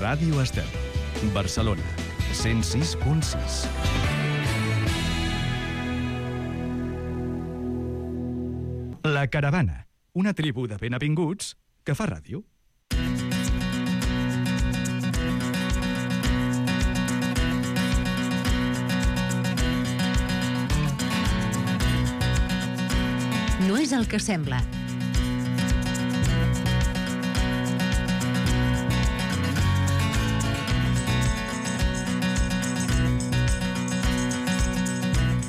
Ràdio Estel, Barcelona, 106.6. La Caravana, una tribu de benavinguts que fa ràdio. No és el que sembla.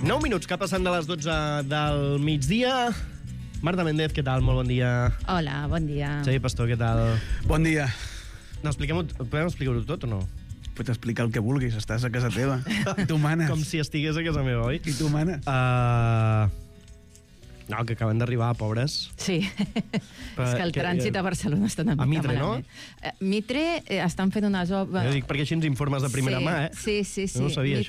Nou minuts que passen de les 12 del migdia. Marta Méndez, què tal? Molt bon dia. Hola, bon dia. Xavi Pastor, què tal? Bon dia. No, podem explicar-ho tot o no? Pots explicar el que vulguis, estàs a casa teva. I tu manes. Com si estigués a casa meva, oi? I tu manes. No, que acaben d'arribar, pobres. Sí, és que el trànsit a Barcelona està una mica Mitre, malament. No? Mitre estan fent unes obres... Jo dic perquè així ens informes de primera mà, eh? Sí. No ho sabia,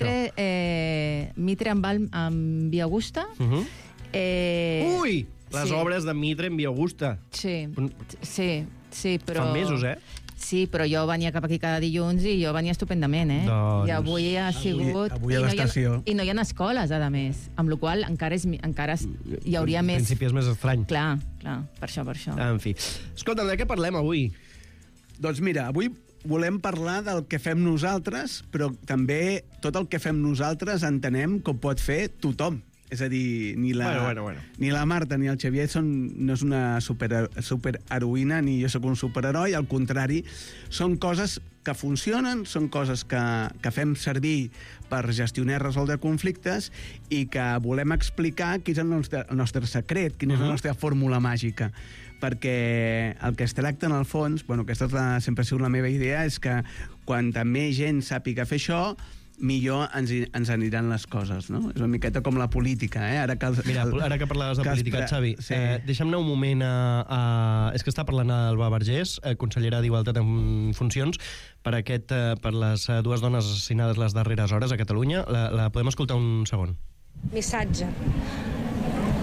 Mitre amb Via Augusta. Ui! Les obres de Mitre en Via Augusta. Sí, però... Fa mesos, eh? Sí, però jo venia cap aquí cada dilluns i jo venia estupendament, eh? Doncs... I avui ha sigut... Avui a l'estació. I no hi ha escoles, a més. Amb la qual cosa encara hi hauria més... En principi és més estrany. Clar, per això. En fi. Escolta, de què parlem avui? Doncs mira, avui volem parlar del que fem nosaltres, però també tot el que fem nosaltres entenem que ho pot fer tothom. És a dir, ni la Marta ni el Xavier no és una superheroïna ni jo sóc un superheroi, al contrari, són coses que funcionen, són coses que fem servir per gestionar i resoldre conflictes i que volem explicar quin és el nostre secret, quina és la nostra fórmula màgica. Perquè el que es tracta en el fons, aquesta sempre ha sigut la meva idea, és que quanta més gent sàpiga fer això, millor ens aniran les coses, no? És una miqueta com la política, eh? Ara que parlaves de política, Xavi, sí. Deixa'm anar un moment és que està parlant Alba Vergés, consellera d'Igualtat en funcions, per les dues dones assassinades les darreres hores a Catalunya. La podem escoltar un segon? Missatge.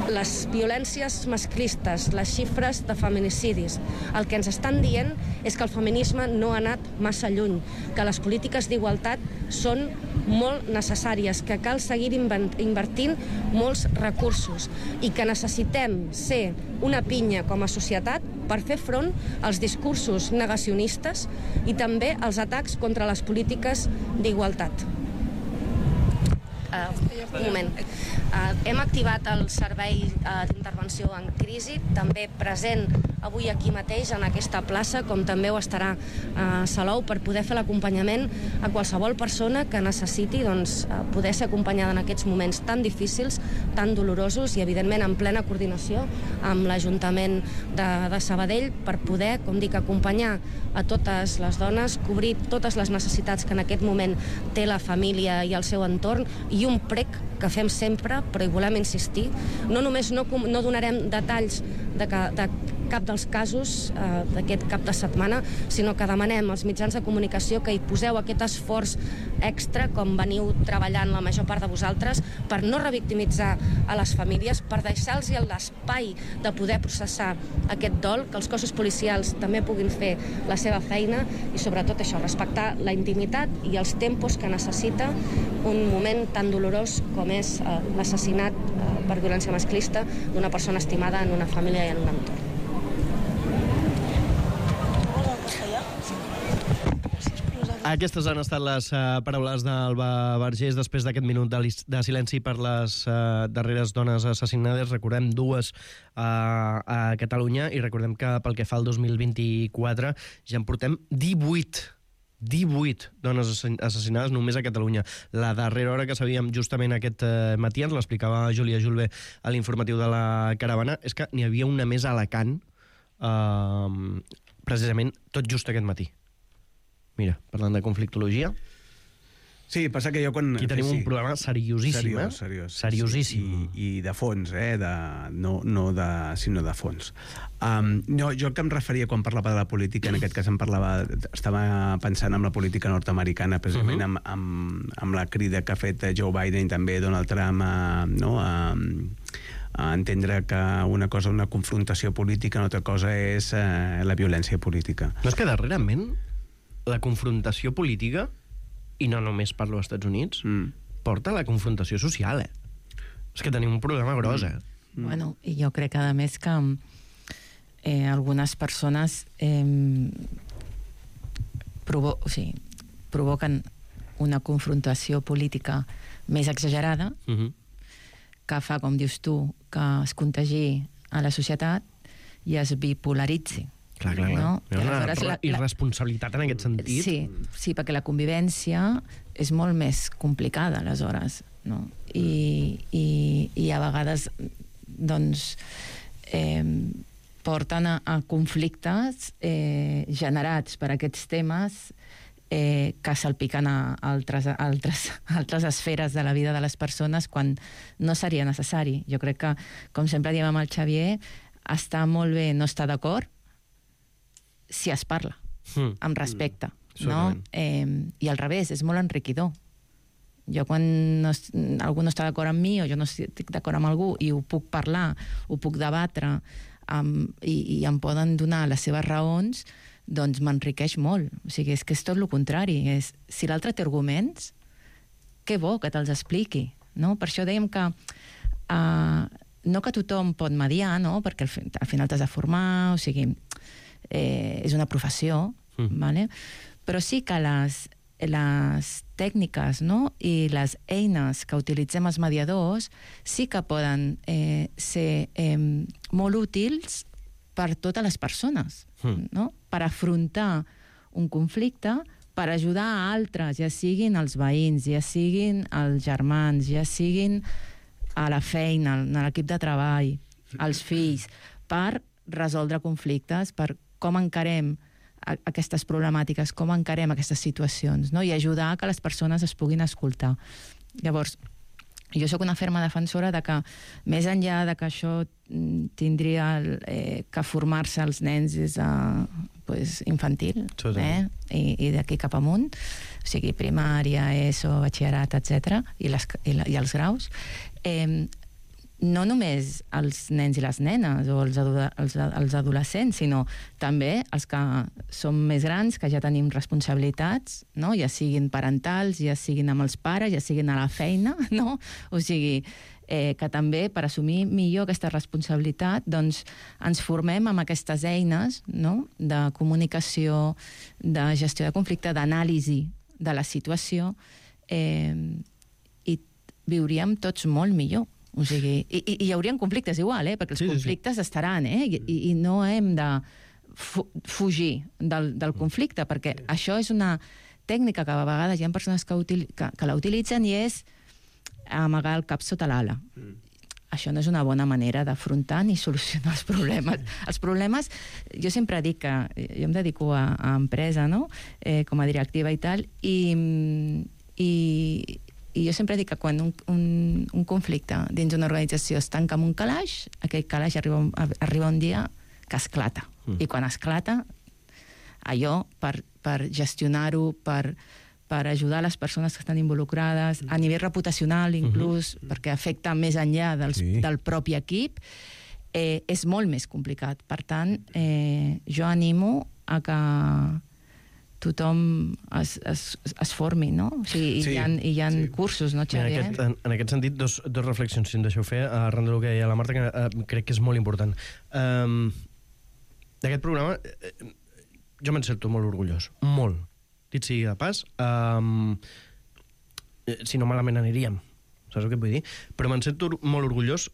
Les violències masclistes, les xifres de feminicidis, el que ens estan dient és que el feminisme no ha anat massa lluny, que les polítiques d'igualtat són molt necessàries, que cal seguir invertint molts recursos i que necessitem ser una pinya com a societat per fer front als discursos negacionistes i també als atacs contra les polítiques d'igualtat. Un moment. Hem activat el servei d'intervenció en crisi, també present avui aquí mateix en aquesta plaça, com també ho estarà a Salou, per poder fer l'acompanyament a qualsevol persona que necessiti poder ser acompanyada en aquests moments tan difícils, tan dolorosos i evidentment en plena coordinació amb l'Ajuntament de Sabadell per poder, com dic, acompanyar a totes les dones, cobrir totes les necessitats que en aquest moment té la família i el seu entorn, i un prec que fem sempre, però hi volem insistir. No només no donarem detalls de cap dels casos d'aquest cap de setmana, sinó que demanem als mitjans de comunicació que hi poseu aquest esforç extra, com veniu treballant la major part de vosaltres, per no revictimitzar a les famílies, per deixar-los l'espai de poder processar aquest dol, que els cossos policials també puguin fer la seva feina i sobretot això, respectar la intimitat i els tempos que necessita un moment tan dolorós com és l'assassinat per violència masclista d'una persona estimada en una família i en un entorn. Aquestes han estat les paraules d'Alba Vergés després d'aquest minut de silenci per les darreres dones assassinades. Recordem, dues a Catalunya, i recordem que pel que fa al 2024 ja en portem 18 dones assassinades només a Catalunya. La darrera hora que sabíem justament aquest matí, ens l'explicava Júlia Julve a l'informatiu de la Caravana, és que n'hi havia una més a Alacant precisament tot just aquest matí. Mira, parlant de conflictologia. Sí, passa que jo quan... Aquí tenim un problema seriosíssim, seriosíssim. I de fons, sinó de fons. Jo que em referia quan parlava de la política, en aquest cas estava pensant en la política nord-americana, precisament amb la crida que ha fet Joe Biden i també Donald Trump a entendre que una cosa és una confrontació política, una altra cosa és la violència política. No és que darrerament la confrontació política, i no només parlo als Estats Units, porta a la confrontació social, És que tenim un problema gros, Bueno, i jo crec, a més, que algunes persones provoquen una confrontació política més exagerada, que fa, com dius tu, que es contagi a la societat i es bipolaritzi. Clar. No? Hi ha una irresponsabilitat en aquest sentit. Sí, perquè la convivència és molt més complicada, aleshores, no? I a vegades, doncs, porten a conflictes generats per aquests temes que salpiquen a altres esferes de la vida de les persones quan no seria necessari. Jo crec que, com sempre diem amb el Xavier, està molt bé no estar d'acord si es parla, amb respecte, no? I al revés, és molt enriquidor. Jo quan algú no està d'acord amb mi o jo no estic d'acord amb algú i ho puc parlar, ho puc debatre i em poden donar les seves raons, doncs m'enriqueix molt. O sigui, és que és tot el contrari. Si l'altre té arguments, que bo que te'ls expliqui, no? Per això dèiem que no que tothom pot mediar, no? Perquè al final t'has de formar, o sigui, és una professió, vale? Però sí que les tècniques, no? I les eines que utilitzem els mediadors sí que poden ser molt útils per totes les persones, no? Per afrontar un conflicte, per ajudar a altres, ja siguin els veïns, ja siguin els germans, ja siguin a la feina, a l'equip de treball, als fills, per resoldre conflictes, per com encarem aquestes problemàtiques, com encarem aquestes situacions, no? I ajudar a que les persones es puguin escoltar. Llavors, jo sóc una ferma defensora de que, més enllà de que això tindria que formar-se els nens des de infantil, i d'aquí cap amunt, o sigui, primària, ESO, batxillerat, etc., i els graus, no només els nens i les nenes o els adolescents, sinó també els que som més grans, que ja tenim responsabilitats, no? Ja siguin parentals, ja siguin amb els pares, ja siguin a la feina, no? O sigui, que també per assumir millor aquesta responsabilitat doncs ens formem amb aquestes eines, no? De comunicació, de gestió de conflicte, d'anàlisi de la situació, i viuríem tots molt millor. O sigui, i hi haurien conflictes igual, perquè els conflictes estaran, i no hem de fugir del conflicte, perquè això és una tècnica que a vegades hi ha persones que la utilitzen i és amagar el cap sota l'ala. Això no és una bona manera d'afrontar ni solucionar els problemes. Els problemes, jo sempre dic que jo em dedico a empresa, no? Com a directiva i tal, i jo sempre dic que quan un conflicte dins d'una organització es tanca amb un calaix, aquell calaix arriba un dia que esclata. I quan esclata, allò, per gestionar-ho, per ajudar les persones que estan involucrades, a nivell reputacional inclús, perquè afecta més enllà del propi equip, és molt més complicat. Per tant, jo animo a que tothom es formi, no? O sigui, hi ha cursos, no, Xavier? En aquest sentit, dos reflexions, si em deixeu fer, arran del que deia la Marta, que crec que és molt important. D'aquest programa, jo me'n sento molt orgullós. Molt. Dit sigui de pas, si no malament aniríem, saps el que vull dir? Però me'n sento molt orgullós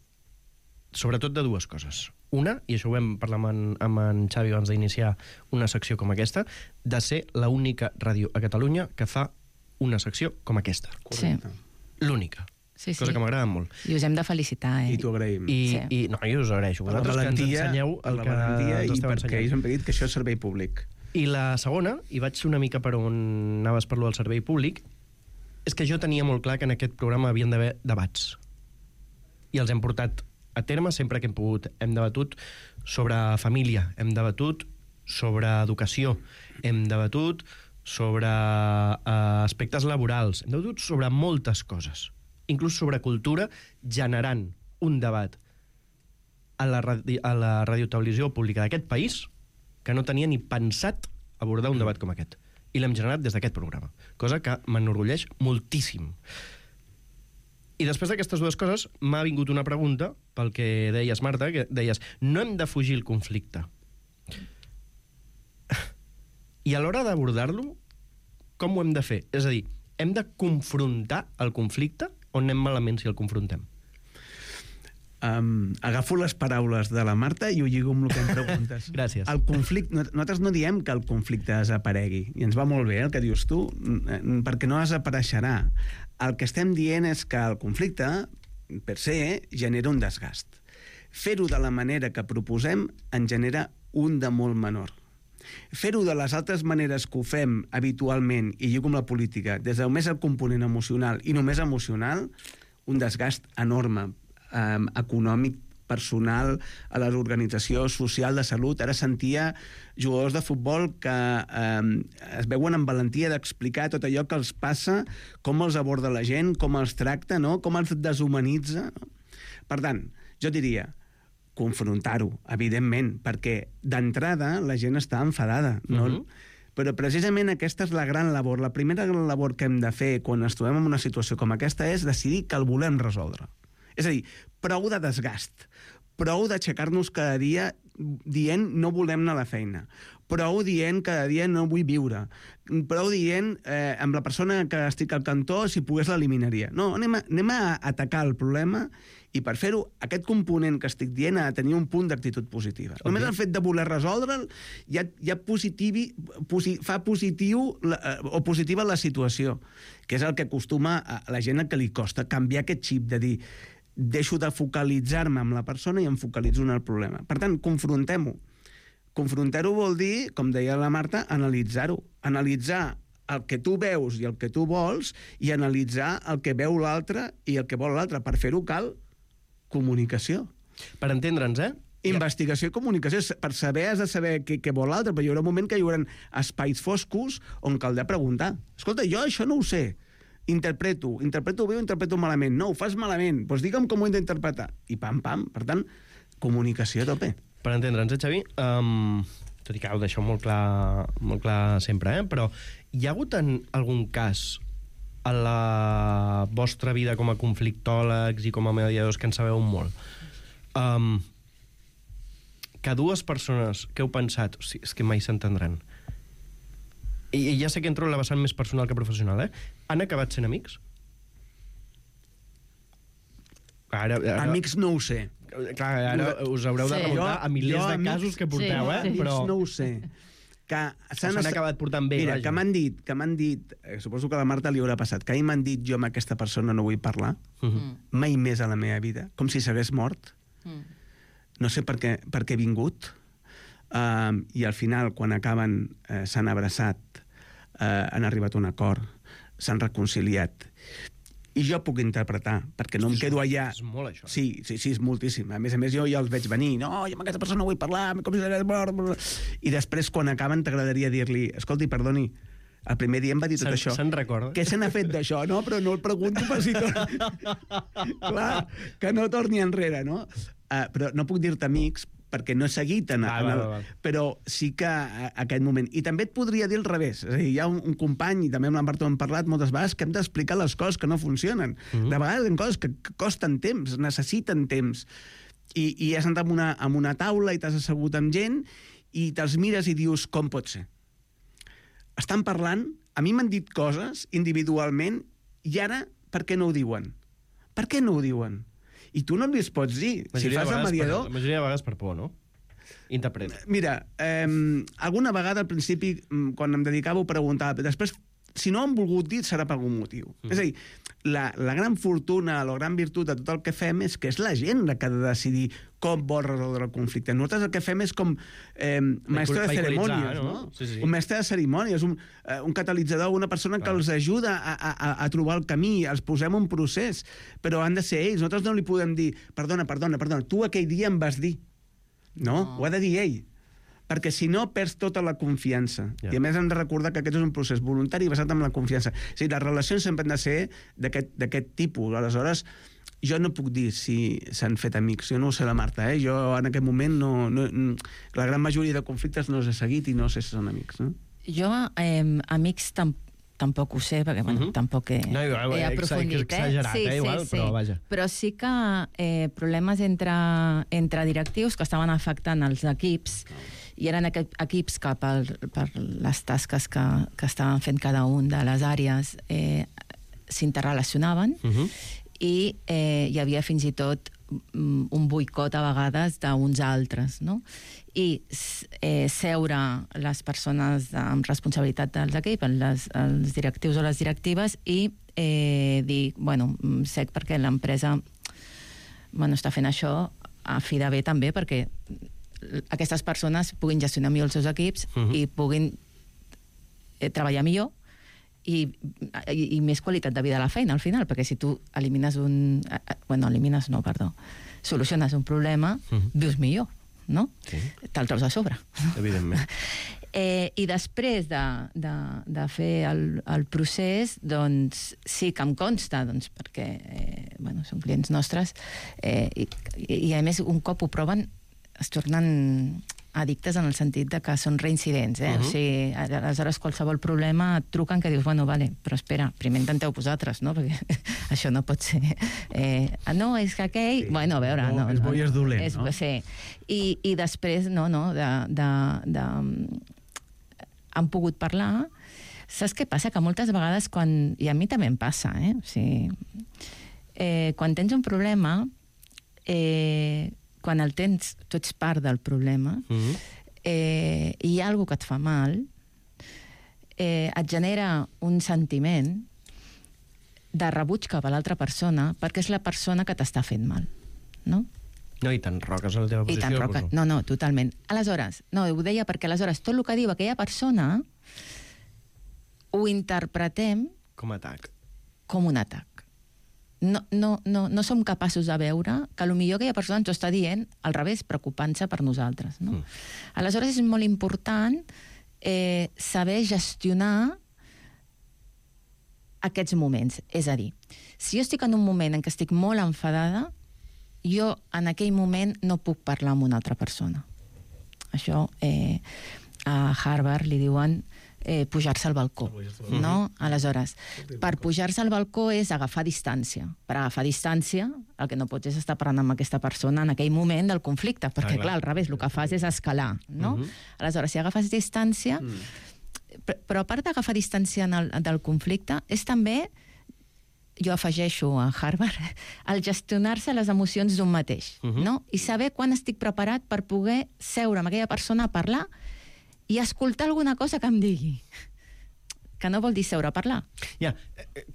sobretot de dues coses. Una, i això ho vam parlar amb en Xavi abans d'iniciar una secció com aquesta, de ser l'única ràdio a Catalunya que fa una secció com aquesta. Correcte. L'única. Cosa que m'agrada molt. I us hem de felicitar, I t'ho agraïm. No, jo us agraeixo. Vosaltres que ens ensenyeu el que ens esteu ensenyant. Perquè ells han dit que això és servei públic. I la segona, i vaig una mica per on anaves per lo del servei públic, és que jo tenia molt clar que en aquest programa havien d'haver debats. I els hem portat a terme sempre que hem pogut. Hem debatut sobre família, hem debatut sobre educació, hem debatut sobre aspectes laborals, hem debatut sobre moltes coses, inclús sobre cultura, generant un debat a la radiotelevisió pública d'aquest país que no tenia ni pensat abordar un debat com aquest. I l'hem generat des d'aquest programa, cosa que m'enorgulleix moltíssim. I després d'aquestes dues coses m'ha vingut una pregunta pel que deies, Marta, que deies, no hem de fugir el conflicte. I a l'hora d'abordar-lo, com ho hem de fer? És a dir, hem de confrontar el conflicte o anem malament si el confrontem? Agafo les paraules de la Marta i ho lligo amb el que em preguntes. Gràcies. El conflicte, nosaltres no diem que el conflicte desaparegui, i ens va molt bé el que dius tu, perquè no desapareixerà. El que estem dient és que el conflicte, per se, genera un desgast. Fer-ho de la manera que proposem en genera un de molt menor. Fer-ho de les altres maneres que ho fem habitualment, i lligo amb la política, des del més el component emocional i només emocional, un desgast enorme, econòmic, personal, a l'organització social de salut. Ara sentia jugadors de futbol que es veuen amb valentia d'explicar tot allò que els passa, com els aborda la gent, com els tracta, no? Com els deshumanitza. No? Per tant, jo diria confrontar-ho, evidentment, perquè d'entrada la gent està enfadada, no? Però precisament aquesta és la gran labor. La primera gran labor que hem de fer quan ens trobem en una situació com aquesta és decidir que el volem resoldre. És a dir, prou de desgast, prou d'aixecar-nos cada dia dient no volem anar a la feina, prou dient cada dia no vull viure, prou dient amb la persona que estic al cantó si pogués l'eliminaria. No, anem a atacar el problema i per fer-ho aquest component que estic dient ha de tenir un punt d'actitud positiva. Okay. Només el fet de voler resoldre'l ja fa positiu o positiva la situació, que és el que acostuma a la gent a que li costa canviar aquest xip de dir deixo de focalitzar-me en la persona i em focalitzo en el problema. Per tant, confrontem-ho. Confrontar-ho vol dir, com deia la Marta, analitzar-ho. Analitzar el que tu veus i el que tu vols i analitzar el que veu l'altre i el que vol l'altre. Per fer-ho cal comunicació. Per entendre'ns, Investigació i comunicació. Per saber has de saber què vol l'altre, però hi haurà un moment que hi haurà espais foscos on caldrà preguntar. Escolta, jo això no ho sé. Interpreto bé o interpreto malament. No, ho fas malament. Doncs digue'm com ho he d'interpretar. I pam. Per tant, comunicació a tope. Per entendre'ns, Xavi, tot i que ho deixeu molt clar sempre, però hi ha hagut en algun cas a la vostra vida com a conflictòlegs i com a mediadors, que en sabeu molt, que dues persones que heu pensat, o sigui, és que mai s'entendran, i ja sé que entro en la vessant més personal que professional, han acabat sent amics? Ara... Amics no ho sé. Clar, ara us haureu de remuntar a milers de casos que porteu, però... Amics no ho sé. Que s'han acabat portant bé. Mira, que m'han dit, suposo que a la Marta li haurà passat, que m'han dit jo amb aquesta persona no vull parlar, mai més a la meva vida, com si s'hagués mort. No sé per què he vingut, i al final, quan acaben, s'han abraçat, han arribat a un acord, s'han reconciliat. I jo puc interpretar, perquè no em quedo allà... És molt, això. Sí, és moltíssim. A més, jo els veig venir. No, jo amb aquesta persona no vull parlar, com si s'hagués mort... I després, quan acaben, t'agradaria dir-li, escolti, perdoni, el primer dia em va dir tot això. Se'n recorda? Què se n'ha fet d'això, no? Però no el pregunto per si Clar, que no torni enrere, no? Però no puc dir-te amics, perquè no he seguit però sí que aquest moment. I també et podria dir al revés. És a dir, hi ha un company, i també amb la Marta hem parlat moltes vegades, que hem d'explicar les coses que no funcionen. De vegades hi ha coses que costen temps, necessiten temps. I has anat amb una taula i t'has assegut amb gent i te'ls mires i dius, com pot ser? Estan parlant, a mi m'han dit coses individualment i ara per què no ho diuen? Per què no ho diuen? I tu no li pots dir. Si fas el mediador... La majoria de vegades per por, no? Interpreta. Mira, alguna vegada al principi, quan em dedicava, ho preguntava. Després, si no han volgut dir, serà per algun motiu. És a dir, la gran fortuna, la gran virtut de tot el que fem és que és la gent la que ha de decidir com vol resoldre el conflicte. Nosaltres el que fem és com mestre de cerimònies, no? Sí. Un mestre de cerimònies, un catalitzador, una persona que els ajuda a trobar el camí, els posem un procés, però han de ser ells. Nosaltres no li podem dir, perdona, tu aquell dia em vas dir. No, ho ha de dir ell. Perquè si no perds tota la confiança. I a més hem de recordar que aquest és un procés voluntari basat en la confiança. O sigui, les relacions sempre han de ser d'aquest tipus. Aleshores, jo no puc dir si s'han fet amics. Jo no ho sé la Marta, Jo en aquest moment no... La gran majoria de conflictes no els he seguit i no sé si són amics, no? Jo, amics, tampoc ho sé, perquè tampoc he aprofundit. Exagerat, igual, però vaja. Però sí que problemes entre directius que estaven afectant els equips, i eren equips que per les tasques que estaven fent cada un de les àrees s'interrelacionaven, i hi havia fins i tot un boicot a vegades d'uns altres, no? I seure les persones amb responsabilitat dels equips, els directius o les directives, i dir, bueno, sec perquè l'empresa està fent això a fi de bé també, perquè aquestes persones puguin gestionar millor els seus equips i puguin treballar millor i més qualitat de vida a la feina, al final, perquè si tu soluciones un problema, vius millor, no? Te'l treus a sobre. Evidentment. I després de fer el procés, doncs sí que em consta, perquè són clients nostres, i a més un cop ho proven es tornen addictes en el sentit de que són reincidents, o sigui, aleshores qualsevol problema et truquen que dius, bueno, vale, però espera, primer intenteu vosaltres, no? Perquè això no pot ser. No, és que aquell... Bueno, a veure... És bo i és dolent, no? Sí. I després, han pogut parlar. Saps què passa? Que moltes vegades, i a mi també em passa, o sigui, quan tens un problema, quan el tens, tu ets part del problema, i hi ha alguna que et fa mal, et genera un sentiment de rebuig cap a l'altra persona, perquè és la persona que t'està fent mal, no? No, i t'enroques a la teva posició. No, totalment. Aleshores, ho deia perquè aleshores tot el que diu aquella persona ho interpretem com a atac. Com un atac. No som capaços de veure que potser aquella persona ens ho està dient al revés, preocupant-se per nosaltres, no? Aleshores és molt important saber gestionar aquests moments. És a dir, si jo estic en un moment en què estic molt enfadada, jo en aquell moment no puc parlar amb una altra persona. Això a Harvard li diuen pujar-se al balcó, no? Aleshores, per pujar-se al balcó és agafar distància. Per agafar distància, el que no pots és estar parlant amb aquesta persona en aquell moment del conflicte, perquè, clar, al revés, el que fas és escalar, no? Aleshores, si agafes distància... Però a part d'agafar distància del conflicte, és també, jo afegeixo a Harvard, el gestionar-se les emocions d'un mateix, no? I saber quan estic preparat per poder seure amb aquella persona a parlar i escoltar alguna cosa que em digui. Que no vol dir seure a parlar. Ja,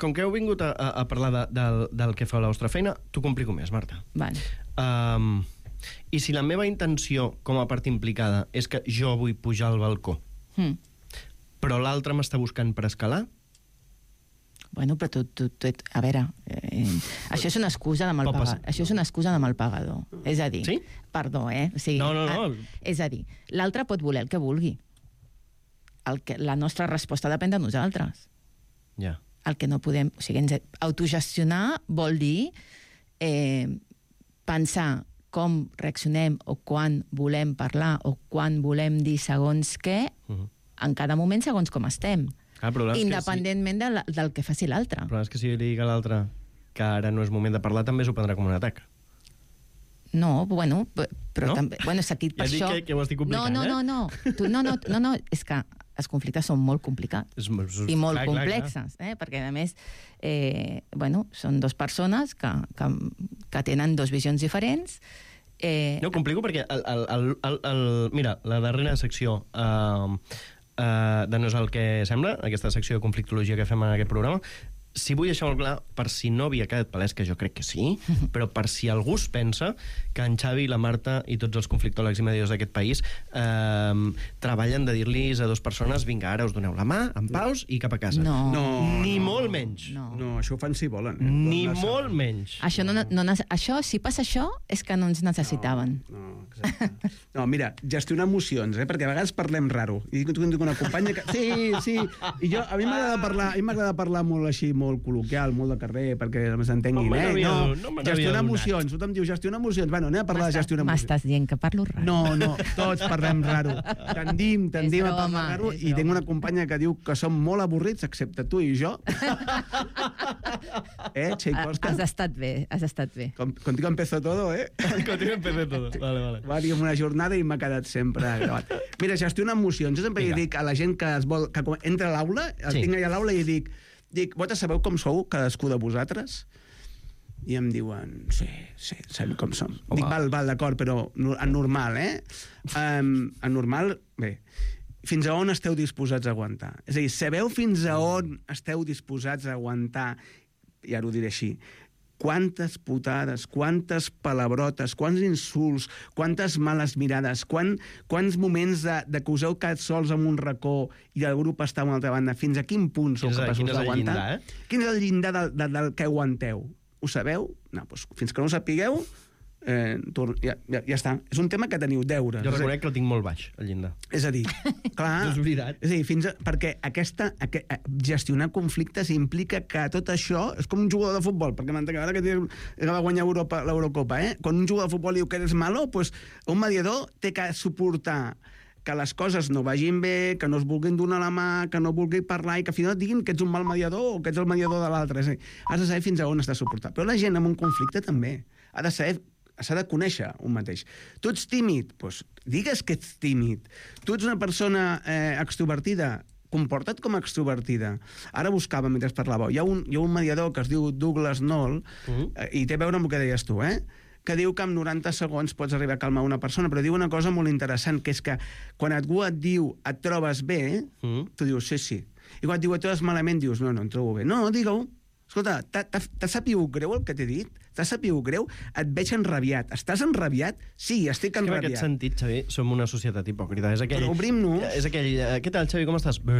com que heu vingut a parlar del que fa la vostra feina, t'ho complico més, Marta. Vale. I si la meva intenció, com a part implicada, és que jo vull pujar al balcó, però l'altre m'està buscant per escalar? Bueno, però a veure, això és una excusa de mal pagador. Això és una excusa de mal pagador. És a dir, sí? Perdó, o sigui, no. És a dir, l'altre pot voler el que vulgui. La nostra resposta depèn de nosaltres. Ja. El que no podem... O sigui, autogestionar vol dir pensar com reaccionem o quan volem parlar o quan volem dir segons què en cada moment segons com estem. Independentment del que faci l'altre. Però és que si li dic a l'altre que ara no és moment de parlar, també s'ho prendrà com un atac. No, bueno, però també... Bueno, és aquí per això... Ja dic que ho estic complicant, No, és que els conflictes són molt complicats i molt complexes, perquè a més, són dues persones que tenen dues visions diferents. No, ho complico perquè mira, la darrera secció de No és el que sembla, aquesta secció de conflictologia que fem en aquest programa, si vull deixar molt clar, per si no havia quedat palès, que jo crec que sí, però per si algú es pensa que en Xavi, la Marta i tots els conflictòlegs i mediadors d'aquest país treballen de dir-los a dues persones vinga, ara us doneu la mà, en paus i cap a casa. Ni molt menys. No, això ho fan si volen. Ni molt menys. Això, si passa això, és que no ens necessitaven. Exacte. No, mira, gestionar emocions, perquè a vegades parlem raro. I tu em dic una companya que... Sí, i jo, a mi m'agrada parlar molt així, molt molt col·loquial, molt de carrer, perquè s'entenguin, gestionar emocions. Tothom diu gestionar emocions. Bueno, anem a parlar de gestionar emocions. M'estàs dient que parlo raro. No, tots parlem raro. Tendim a parlar raro, i tinc una companya que diu que som molt avorrits, excepte tu i jo. Tchaikovsky? Has estat bé. Contigo empezó todo, Contigo empezó todo. Vale. Va dir una jornada i m'ha quedat sempre gravat. Mira, gestionar emocions. Jo sempre dic a la gent que entra a l'aula, tinc allà a l'aula i dic, vosaltres sabeu com sou cadascú de vosaltres? I em diuen, sí, sabem com som. Dic, val, d'acord, però anormal, anormal, bé. Fins a on esteu disposats a aguantar? És a dir, sabeu fins a on esteu disposats a aguantar, i ara ho diré així, quantes putades, quantes palabrotes, quants insults, quantes males mirades, quants moments de que us heu quedat sols en un racó i el grup està a una altra banda, fins a quin punt sou capaços d'aguantar? Quin és el llindar del que aguanteu? Ho sabeu? No, doncs fins que no ho sapigueu, ja està. És un tema que teniu deures. Jo reconec que el tinc molt baix, el llindar. És a dir, clar... És veritat. És a dir, perquè gestionar conflictes implica que tot això és com un jugador de futbol, perquè ara que va guanyar l'Eurocopa, quan un jugador de futbol diu que eres malo, doncs un mediador té que suportar que les coses no vagin bé, que no es vulguin donar la mà, que no vulguin parlar i que al final et diguin que ets un mal mediador o que ets el mediador de l'altre. Has de saber fins a on estàs suportant. Però la gent amb un conflicte també s'ha de conèixer un mateix. Tu ets tímid? Doncs digues que ets tímid. Tu ets una persona extrovertida? Comporta't com a extrovertida. Ara buscava mentre parlava. Hi ha un mediador que es diu Douglas Knoll, i té a veure amb el que deies tu, que diu que en 90 segons pots arribar a calmar una persona, però diu una cosa molt interessant, que és que quan algú et diu et trobes bé, tu dius sí. I quan et diu et trobes malament, dius no, em trobo bé. No, digue-ho. Escolta, t'ha sapigut greu el que t'he dit? T'ha sapigut greu? Et veig enrabiat. Estàs enrabiat? Sí, estic enrabiat. En aquest sentit, Xavi, som una societat hipòcrita. Però obrim-nos. És aquell... Què tal, Xavi, com estàs? Bé.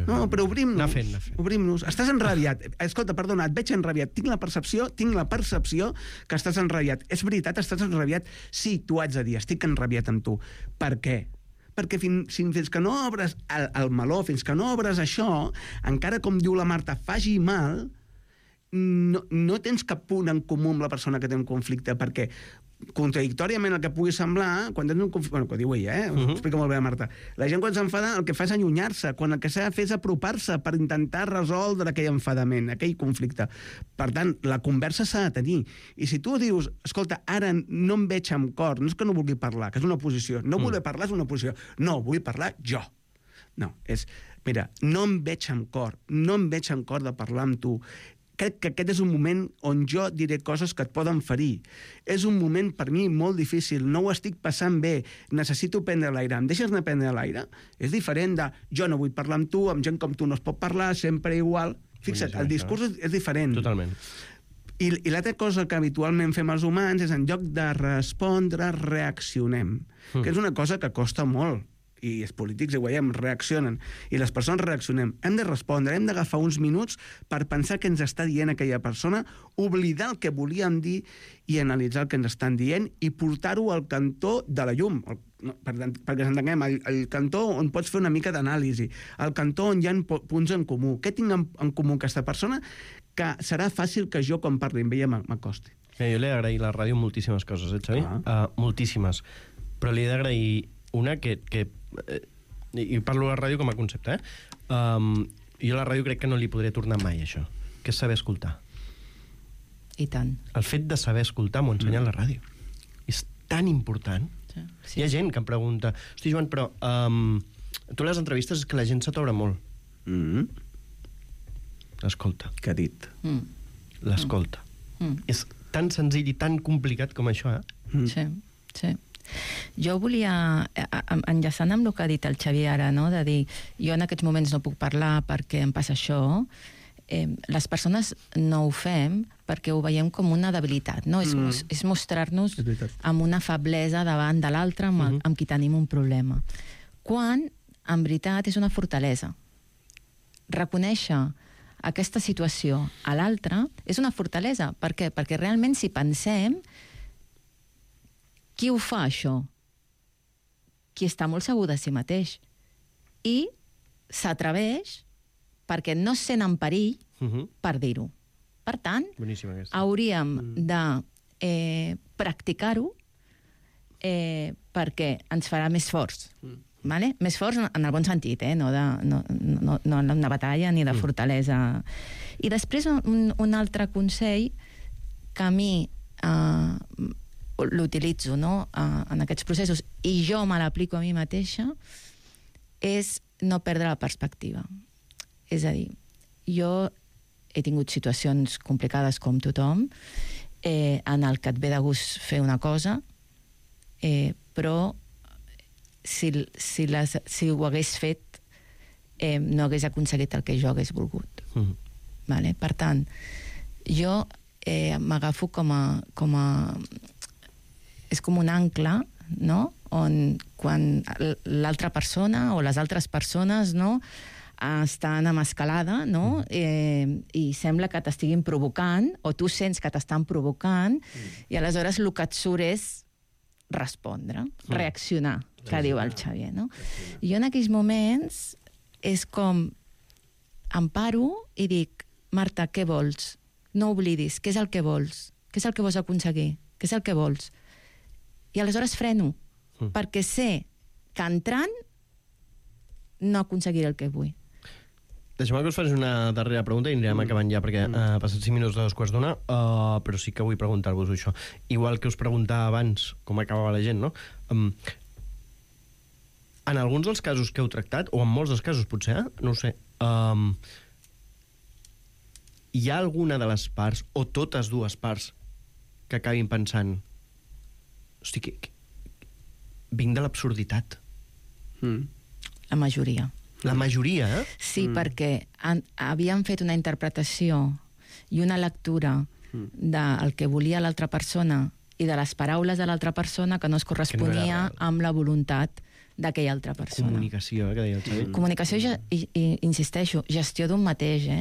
No, però obrim-nos. Anar fent. Obrim-nos. Estàs enrabiat. Escolta, perdona, et veig enrabiat. Tinc la percepció que estàs enrabiat. És veritat, estàs enrabiat? Sí, t'ho haig de dir. Estic enrabiat amb tu. Per què? Perquè fins que no obres el meló, fins que no obres això, encara com diu la Marta, faci mal... No tens cap punt en comú amb la persona que té un conflicte, perquè contradictòriament el que pugui semblar, quan tens un conflicte, bueno, que diu ella, ho explica molt bé la Marta, la gent quan s'enfada el que fa és allunyar-se, quan el que s'ha de fer és apropar-se per intentar resoldre aquell enfadament, aquell conflicte. Per tant, la conversa s'ha de tenir. I si tu dius, escolta, ara no em veig amb cor, no és que no vulgui parlar, que és una posició, no voler parlar és una posició, no, vull parlar jo. No, mira, no em veig amb cor de parlar amb tu. Crec que aquest és un moment on jo diré coses que et poden ferir. És un moment, per mi, molt difícil. No ho estic passant bé. Necessito prendre l'aire. Em deixes anar a prendre l'aire? És diferent de jo no vull parlar amb tu, amb gent com tu no es pot parlar, sempre igual. Fixa't, el discurs és diferent. Totalment. I l'altra cosa que habitualment fem els humans és en lloc de respondre, reaccionem. Que és una cosa que costa molt. I els polítics, ho veiem, reaccionen. I les persones reaccionem. Hem de respondre, hem d'agafar uns minuts per pensar què ens està dient aquella persona, oblidar el que volíem dir i analitzar el que ens estan dient i portar-ho al cantó de la llum. Perquè s'entenguem, el cantó on pots fer una mica d'anàlisi, el cantó on hi ha punts en comú. Què tinc en comú aquesta persona que serà fàcil que jo, quan parli amb ella, m'acosti? Jo li he d'agrair a la ràdio moltíssimes coses, Xavi? Moltíssimes. Però li he d'agrair una que i parlo a la ràdio com a concepte, jo a la ràdio crec que no li podré tornar mai, això, que és saber escoltar. I tant. El fet de saber escoltar m'ho ensenya la ràdio. És tan important. Sí. Hi ha gent que em pregunta, hosti, Joan, però tu les entrevistes és que la gent se t'obre molt. L'escolta. Què ha dit? L'escolta. És tan senzill i tan complicat com això, Sí. Jo volia, enllaçant amb el que ha dit el Xavier ara, no? De dir, jo en aquests moments no puc parlar perquè em passa això, les persones no ho fem perquè ho veiem com una debilitat, no? És mostrar-nos amb una feblesa davant de l'altre amb qui tenim un problema. Quan, en veritat, és una fortalesa. Reconèixer aquesta situació a l'altre és una fortalesa. Per què? Perquè realment, si pensem, qui ho fa, això? Qui està molt segur de si mateix. I s'atreveix perquè no es sent en perill per dir-ho. Per tant, hauríem de practicar-ho perquè ens farà més forts. Vale? Més forts en el bon sentit, no en una batalla ni de fortalesa. I després un altre consell que a mi l'utilitzo en aquests processos i jo me l'aplico a mi mateixa és no perdre la perspectiva. És a dir, jo he tingut situacions complicades com tothom en el que et ve de gust fer una cosa però si ho hagués fet no hagués aconseguit el que jo hagués volgut. Vale? Per tant, jo m'agafo com a... És com un ancle, no? On quan l'altra persona o les altres persones estan en escalada, no? I sembla que t'estiguin provocant, o tu sents que t'estan provocant, i aleshores el que et surt és respondre, reaccionar, que diu el Xavier, no? I jo en aquells moments és com em paro i dic, Marta, què vols? No oblidis, què és el que vols? Què és el que vols aconseguir? Què és el que vols? I aleshores freno, perquè sé que entrant no aconseguiré el que vull. Deixeu-me que us faci una darrera pregunta i anirem acabant ja, perquè ha passat 5 minuts de 2:15, però sí que vull preguntar-vos això. Igual que us preguntava abans com acabava la gent, no? En alguns dels casos que heu tractat, o en molts dels casos potser, no ho sé, hi ha alguna de les parts, o totes dues parts, que acabin pensant hosti, vinc de l'absurditat. La majoria. La majoria, Sí, perquè havien fet una interpretació i una lectura del que volia l'altra persona i de les paraules de l'altra persona que no es corresponia amb la voluntat d'aquella altra persona. Comunicació, que deia el Xavi. Comunicació i insisteixo, gestió d'un mateix, Sí,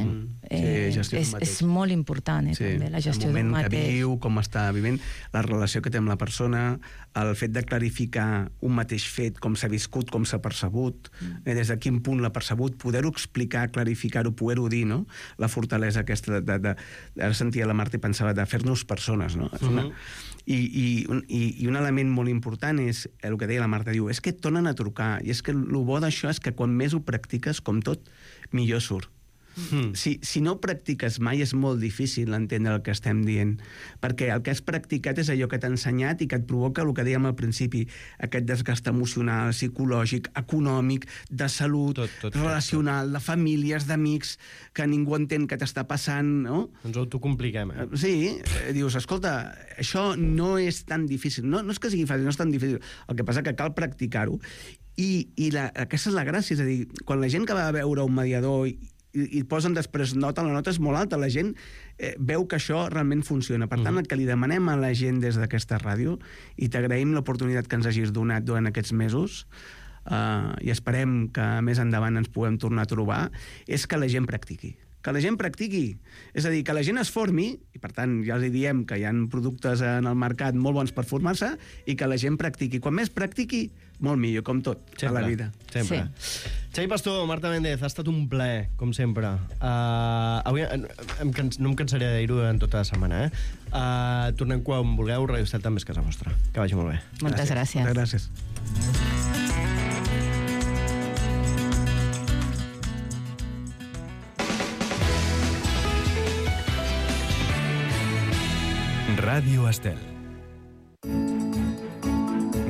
gestió d'un mateix. És molt important, també, la gestió d'un mateix. El moment que viu, com està vivint, la relació que té amb la persona, el fet de clarificar un mateix fet, com s'ha viscut, com s'ha percebut, des de quin punt l'ha percebut, poder-ho explicar, clarificar-ho, poder-ho dir, no? La fortalesa aquesta ara sentia la Marta i pensava de fer-nos persones, no? I un element molt important és el que deia la Marta, diu, és que et tornen a trucar, i és que el bo d'això és que quan més ho practiques, com tot, millor surt. Si no practiques mai és molt difícil entendre el que estem dient, perquè el que has practicat és allò que t'ha ensenyat i que et provoca el que dèiem al principi, aquest desgast emocional, psicològic, econòmic, de salut, relacional, de famílies, d'amics, que ningú entén què t'està passant, no? Ens ho autocompliquem, Sí, dius, escolta, això no és tan difícil, no és que sigui fàcil, no és tan difícil, el que passa que cal practicar-ho, i aquesta és la gràcia, és a dir, quan la gent que va a veure un mediador i posen després nota, la nota és molt alta, la gent veu que això realment funciona. Per tant, el que li demanem a la gent des d'aquesta ràdio, i t'agraïm l'oportunitat que ens hagis donat durant aquests mesos, i esperem que més endavant ens puguem tornar a trobar, és que la gent practiqui. Que la gent practiqui. És a dir, que la gent es formi, i per tant ja els diem que hi ha productes en el mercat molt bons per formar-se, i que la gent practiqui. Quan més practiqui, molt millor, com tot, a la vida. Sempre. Xavi Pastor, Marta Méndez, ha estat un plaer, com sempre. Avui no em cansaré de dir-ho durant tota la setmana. Tornem quan vulgueu, Radio Estel també és casa vostra. Que vagi molt bé. Moltes gràcies. Moltes gràcies. Ràdio Estel.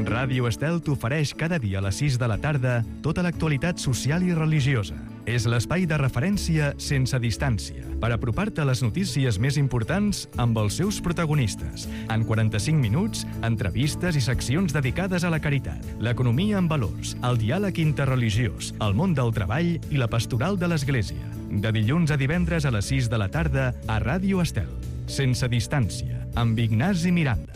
Ràdio Estel t'ofereix cada dia a les 6 de la tarda tota l'actualitat social i religiosa. És l'espai de referència sense distància per apropar-te a les notícies més importants amb els seus protagonistes. En 45 minuts, entrevistes i seccions dedicades a la caritat, l'economia en valors, el diàleg interreligiós, el món del treball i la pastoral de l'Església. De dilluns a divendres a les 6 de la tarda a Ràdio Estel. Sense distància, amb Ignasi Miranda.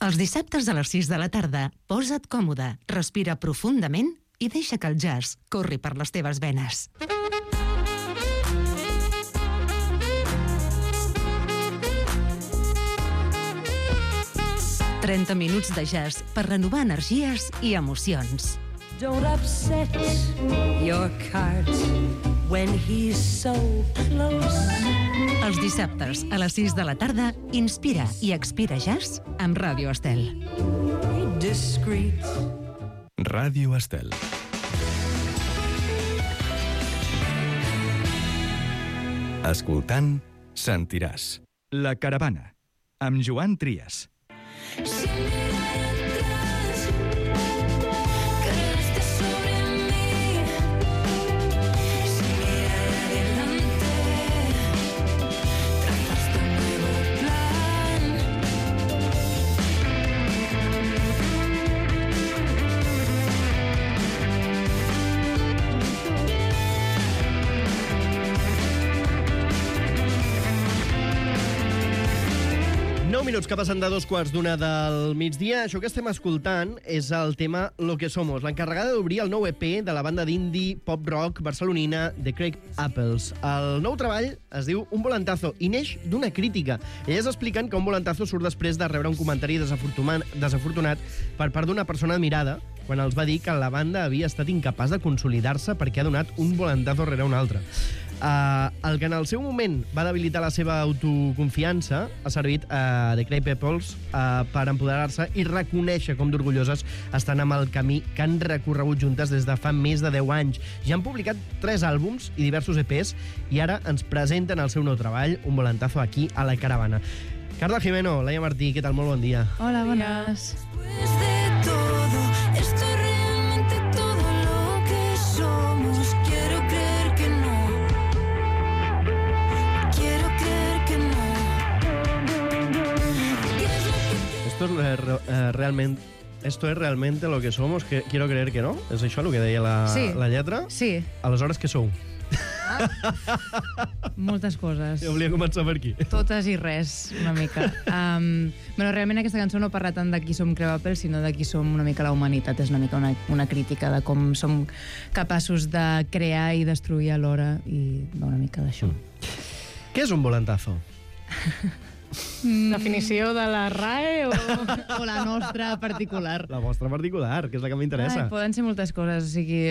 Els dissabtes a les 6 de la tarda, posa't còmode, respira profundament i deixa que el jazz corri per les teves venes. ...30 minuts de jazz per renovar energies i emocions. Don't upset your cart when he's so close. Els dissabtes a les 6 de la tarda, Inspira i Expira Jazz amb Ràdio Estel. Discreet. Ràdio Estel. Escoltant, sentiràs. La Caravana, amb Joan Trias. Minuts que passen de 2:15 del migdia. Això que estem escoltant és el tema Lo que somos, l'encarregada d'obrir el nou EP de la banda d'indie pop-rock barcelonina The Craig Apples. El nou treball es diu Un volantazo i neix d'una crítica. Elles expliquen que un volantazo surt després de rebre un comentari desafortunat per part d'una persona admirada quan els va dir que la banda havia estat incapaç de consolidar-se perquè ha donat un volantazo rere un altre. El que en el seu moment va debilitar la seva autoconfiança ha servit a The Craig Apples per empoderar-se i reconèixer com d'orgulloses estan amb el camí que han recorregut juntes des de fa més de 10 anys. Ja han publicat 3 àlbums i diversos EPs i ara ens presenten el seu nou treball, Un volantazo, aquí a La Caravana. Carla Jimeno, Laia Martí, què tal? Molt bon dia. Hola, bones. Esto es realmente lo que somos, que quiero creer que no? És això el que deia la lletra? Sí. Aleshores, què sou? Moltes coses. Jo volia començar per aquí. Totes i res, una mica. Realment aquesta cançó no parla tant de qui som Craig Apples, sinó de qui som una mica la humanitat. És una mica una crítica de com som capaços de crear i destruir alhora, i una mica d'això. Què és un volantazo? Definició de la RAE o la nostra particular? La vostra particular, que és la que m'interessa. Poden ser moltes coses. O sigui,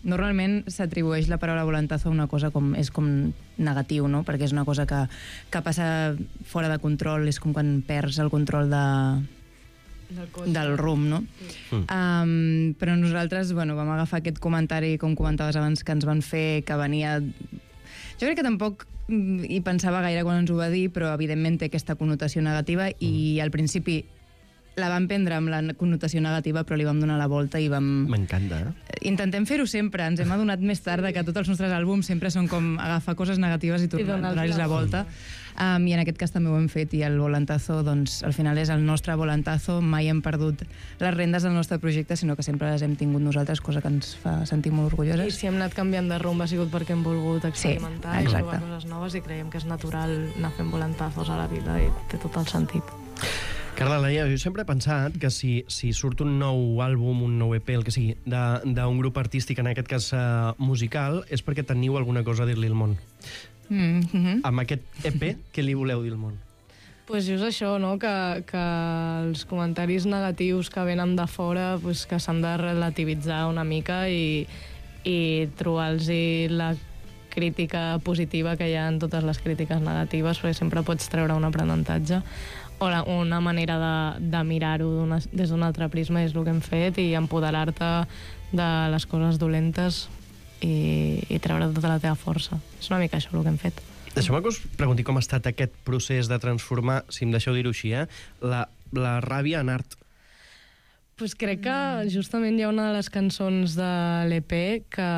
normalment s'atribueix la paraula volantazo a una cosa és com negatiu, no? Perquè és una cosa que passa fora de control, és com quan perds el control del rumb, no? Però nosaltres vam agafar aquest comentari, com comentaves abans, que ens van fer, que venia... Jo crec que tampoc hi pensava gaire quan ens ho va dir, però evidentment té aquesta connotació negativa i al principi la vam prendre amb la connotació negativa, però li vam donar la volta i vam... M'encanta, Intentem fer-ho sempre. Ens hem adonat més tard que tots els nostres àlbums sempre són com agafar coses negatives i donar-los la volta. I en aquest cas també ho hem fet, i el volantazo, doncs, al final és el nostre volantazo. Mai hem perdut les rendes del nostre projecte, sinó que sempre les hem tingut nosaltres, cosa que ens fa sentir molt orgulloses. I si hem anat canviant de rumb ha sigut perquè hem volgut experimentar i provar coses noves, i creiem que és natural anar fent volantazos a la vida i té tot el sentit. Carla, Laia, jo sempre he pensat que si surt un nou àlbum, un nou EP, el que sigui, d'un grup artístic, en aquest cas musical, és perquè teniu alguna cosa a dir-li al món. Amb aquest EP, què li voleu dir al món? Pues just això, no? Que els comentaris negatius que venen de fora, pues, que s'han de relativitzar una mica i trobar-los la crítica positiva que hi ha en totes les crítiques negatives, perquè sempre pots treure un aprenentatge. O una manera de mirar-ho des d'un altre prisma és el que hem fet, i empoderar-te de les coses dolentes i treure tota la teva força. És una mica això el que hem fet. Deixeu-me que us pregunti com ha estat aquest procés de transformar, si em deixeu dir-ho així, la ràbia en art. Pues crec que justament hi ha una de les cançons de l'EP que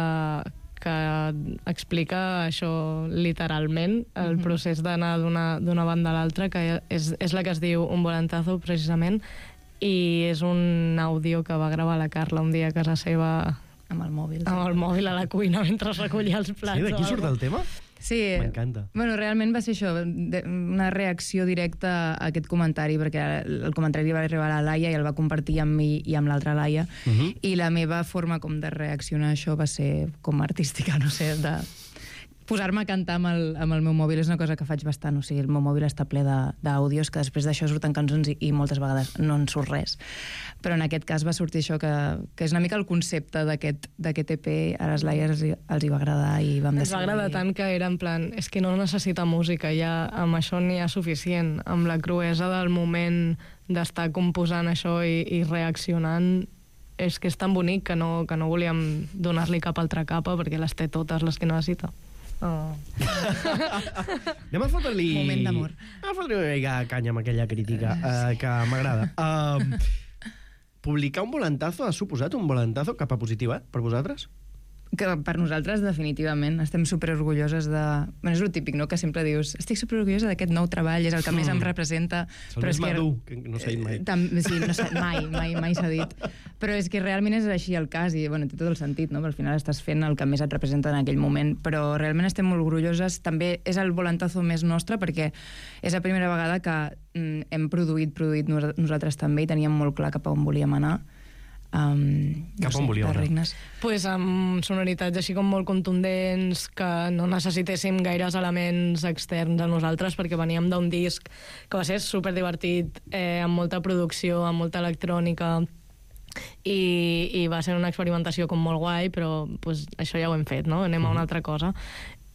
explica això literalment, el procés d'anar d'una banda a l'altra, que és la que es diu Un volantazo, precisament, i és un àudio que va gravar la Carla un dia a casa seva amb el mòbil a la cuina mentre recollia els plats. Sí, d'aquí surt el tema? Sí. M'encanta. Realment va ser això, una reacció directa a aquest comentari, perquè el comentari va arribar a la Laia i el va compartir amb mi i amb l'altra Laia, i la meva forma com de reaccionar a això va ser com artística, no sé, posar-me a cantar amb el meu mòbil és una cosa que faig bastant, o sigui, el meu mòbil està ple d'àudios, que després d'això surten cançons i moltes vegades no en surt res. Però en aquest cas va sortir això, que és una mica el concepte d'aquest EP, a les Liars els hi va agradar i vam decidir... Ens va agradar tant que era en plan, és que no necessita música, ja amb això n'hi ha suficient, amb la cruesa del moment d'estar composant això i reaccionant, és que és tan bonic que no volíem donar-li cap altra capa perquè les té totes les que necessita. Oh. Anem a fotre-li... Moment d'amor. Anem a fotre-li una mica canya amb aquella crítica que m'agrada. Publicar un volantazo ha suposat un volantazo cap a positiu, per vosaltres? Que per nosaltres, definitivament, estem superorgulloses de... Bueno, és el típic, no?, que sempre dius estic superorgullosa d'aquest nou treball, és el que més em representa. És el més madur, que no s'ha dit mai. Sí, no mai s'ha dit. Però és que realment és així el cas, i bueno, té tot el sentit, no?, perquè al final estàs fent el que més et representa en aquell moment, però realment estem molt orgulloses. També és el volantazo més nostre, perquè és la primera vegada que hem produït nosaltres també, i teníem molt clar cap a on volíem anar. Cap on volíeu anar? Pues amb sonoritats així com molt contundents, que no necessitéssim gaires elements externs a nosaltres, perquè veníem d'un disc que va ser superdivertit, amb molta producció, amb molta electrònica, i va ser una experimentació com molt guai, però pues, això ja ho hem fet, no? Anem a una altra cosa.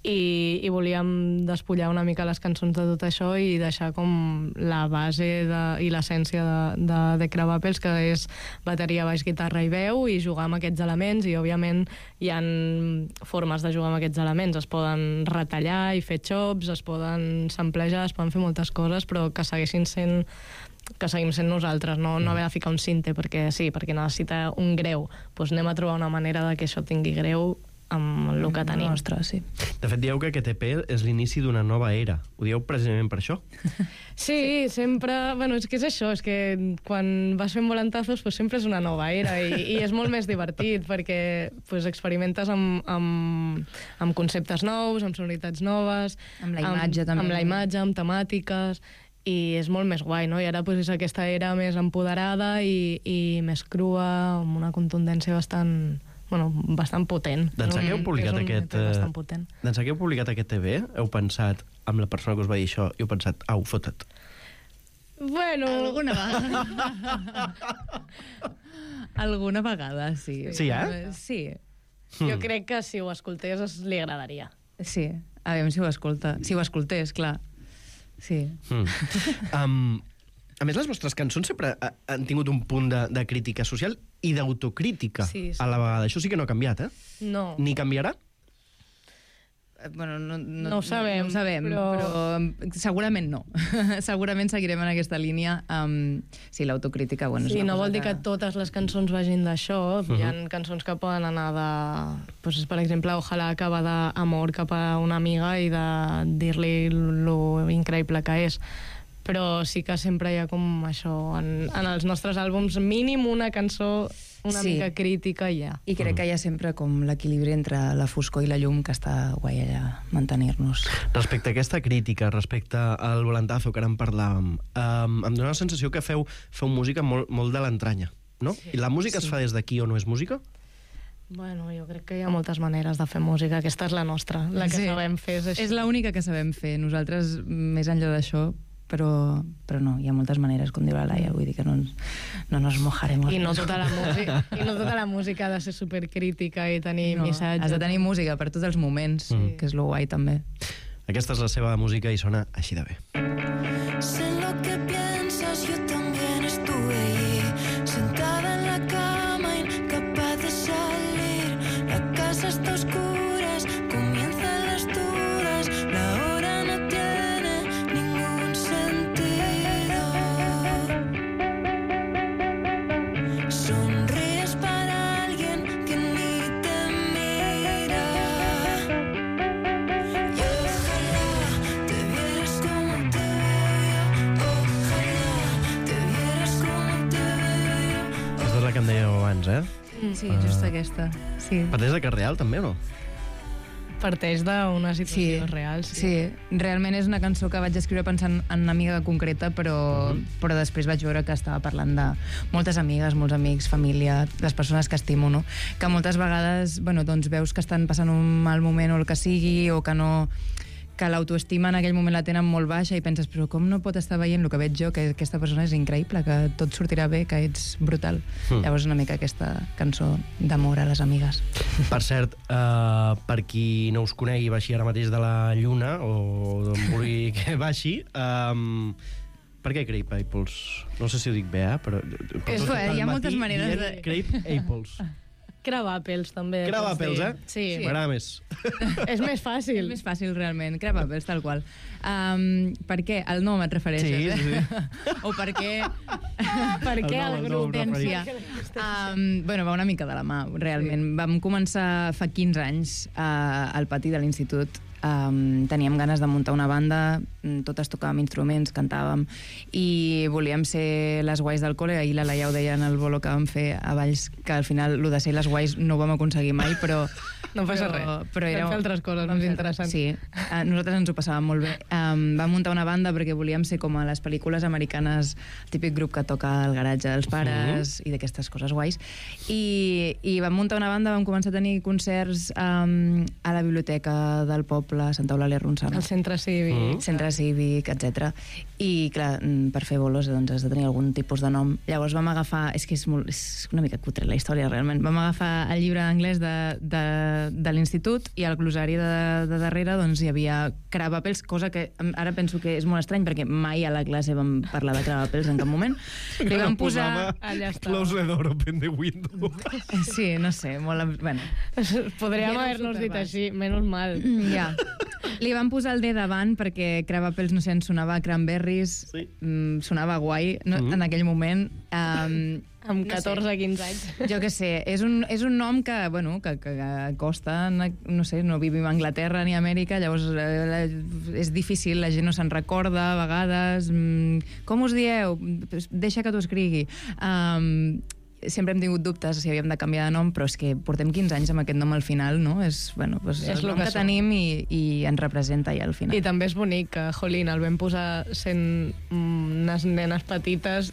I volíem despullar una mica les cançons de tot això i deixar com la base i l'essència de The Crabapple, que és bateria, baix, guitarra i veu, i jugar amb aquests elements, i òbviament hi ha formes de jugar amb aquests elements, es poden retallar i fer chops, es poden samplejar, es poden fer moltes coses, però que seguim sent nosaltres, no haver de ficar un sinte perquè necessita un greu, doncs anem a trobar una manera de que això tingui greu amb el que tenim. Nostre, sí. De fet, dieu que aquest EP és l'inici d'una nova era. Ho dieu precisament per això? Sí, sempre... Bueno, és que és això, és que quan vas fent volantazos pues sempre és una nova era i és molt més divertit perquè pues, experimentes amb conceptes nous, amb sonoritats noves, amb la imatge també. Amb la imatge, amb temàtiques, i és molt més guai, no? I ara pues, és aquesta era més empoderada i més crua, amb una contundència bastant potent. D'ençà que heu publicat aquest TV, heu pensat amb la persona que us va dir això i heu pensat, au, fota't. Bueno... Alguna vegada, sí. Sí, Sí. Jo crec que si ho escoltés li agradaria. Sí, a veure si ho escolta. Si ho escoltés, clar. Sí. A més, les vostres cançons sempre han tingut un punt de crítica social i d'autocrítica a la vegada. Això sí que no ha canviat, No. Ni canviarà? Bueno, no ho sabem, però segurament no. Segurament seguirem en aquesta línia. Sí, l'autocrítica... Bueno, sí, no vol dir que totes les cançons vagin d'això. Hi ha cançons que poden anar de... Pues, per exemple, Ojalà, que va d'amor cap a una amiga i de dir-li lo increïble que és. Però sí que sempre hi ha com això en els nostres àlbums, mínim una cançó mica crítica hi ha. I crec que hi ha sempre com l'equilibri entre la foscor i la llum, que està guai allà mantenir-nos. Respecte a aquesta crítica, respecte al volantazo que ara en parlàvem, em dóna la sensació que feu música molt de l'entranya, no? Sí. I la música es fa des d'aquí o no és música? Bueno, jo crec que hi ha moltes maneres de fer música. Aquesta és la nostra, la que sabem fer. És l'única que sabem fer. Nosaltres, més enllà d'això, però no, hi ha moltes maneres, com diu la Laia, vull dir que no nos mojaremos. I no tota la música ha de ser supercrítica i tenir missatge. Has de tenir música per tots els moments, que és lo guai també. Aquesta és la seva música i sona així de bé. Sé lo que piensas, yo también estuve allí, sentada en la cama, incapaz de salir. La casa está oscura, comienzan las dudas, la hora no tiene ningún sentido. Sonríes para alguien que ni te mira. Y ojalá te vieras como te veo yo. Ojalá te vieras como te veo yo. Aquesta és la que em dèieu abans, Sí, just aquesta. Sí. Parteix de Carreal, també, o no? parteix d'una situació real. Sí, realment és una cançó que vaig escriure pensant en una amiga concreta, però després vaig veure que estava parlant de moltes amigues, molts amics, família, les persones que estimo, no? Que moltes vegades, bueno, doncs veus que estan passant un mal moment o el que sigui, o que no... que l'autoestima en aquell moment la tenen molt baixa i penses, però com no pot estar veient el que veig jo, que aquesta persona és increïble, que tot sortirà bé, que ets brutal. Llavors una mica aquesta cançó d'amor a les amigues. Per cert, per qui no us conegui, baixi ara mateix de la lluna, o d'on vulgui que baixi, per què Crepe Apples? No sé si ho dic bé, però... Hi ha moltes maneres de... Crepe Apples. Crabapels, també. Crabapels, Sí. M'agrada més. És més fàcil. És més fàcil, realment. Crabapels, tal qual. Per què? El nom et refereixes, sí. O per què... Per què el grup? Bueno, va una mica de la mà, realment. Vam començar fa 15 anys al pati de l'institut. Teníem ganes de muntar una banda, totes tocàvem instruments, cantàvem, i volíem ser les guais del col·le. Ahir la Laia ho deia en el bolo que vam fer a Valls, que al final el de ser les guais no ho vam aconseguir mai, però... No passa res, però vam fer altres coses més interessants. Sí, nosaltres ens ho passàvem molt bé. Vam muntar una banda perquè volíem ser com a les pel·lícules americanes, el típic grup que toca al garatge dels pares i d'aquestes coses guais. I vam muntar una banda, vam començar a tenir concerts a la biblioteca del poble, a Santa Eulàlia Ronçana. El centre cívic. Centre cívic, etc. I, clar, per fer bolos doncs has de tenir algun tipus de nom. Llavors vam agafar... És que és una mica cutre la història, realment. Vam agafar el llibre d'anglès de l'institut i al glosari de darrere doncs hi havia Crabapels, cosa que ara penso que és molt estrany perquè mai a la classe vam parlar de Crabapels en cap moment. Li vam posar... Close the door, open the window. Sí, no sé, molt... Bueno. Podríem haver-nos dit així, menys mal. Ja. Li vam posar el D davant perquè Crabapels, no sé, ens sonava Cranberries, sonava guai en aquell moment. Amb 14-15 anys. Jo què sé, és un nom que, bueno, que costa, no sé, no vivim a Anglaterra ni a Amèrica, llavors és difícil, la gent no se'n recorda a vegades. Com us dieu? Deixa que t'ho escrigui. Sempre hem tingut dubtes si havíem de canviar de nom, però és que portem 15 anys amb aquest nom al final, no? És el nom que tenim i ens representa ja al final. I també és bonic que, jolín, el vam posar sent unes nenes petites